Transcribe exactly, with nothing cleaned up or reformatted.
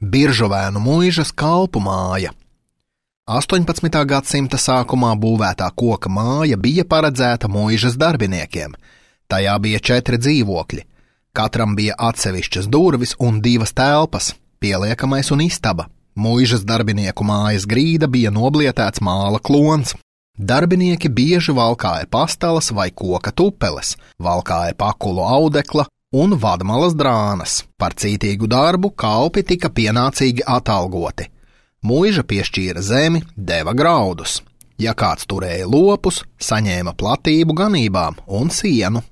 Biržuvēnu muižas kalpu māja. astoņpadsmitā gadsimta sākumā būvētā koka māja bija paredzēta muižas darbiniekiem. Tajā bija četri dzīvokļi. Katram bija atsevišķas durvis un divas telpas, pieliekamais un istaba. Muižas darbinieku mājas grīda bija noblietēts māla klons. Darbinieki bieži valkāja pastalas vai koka tupeles, valkāja pakulu audekla un vadmalas drānas. Par cītīgu darbu kalpi tika pienācīgi atalgoti. Muiža piešķīra zemi, deva graudus. Ja kāds turēja lopus, saņēma platību ganībām un sienu.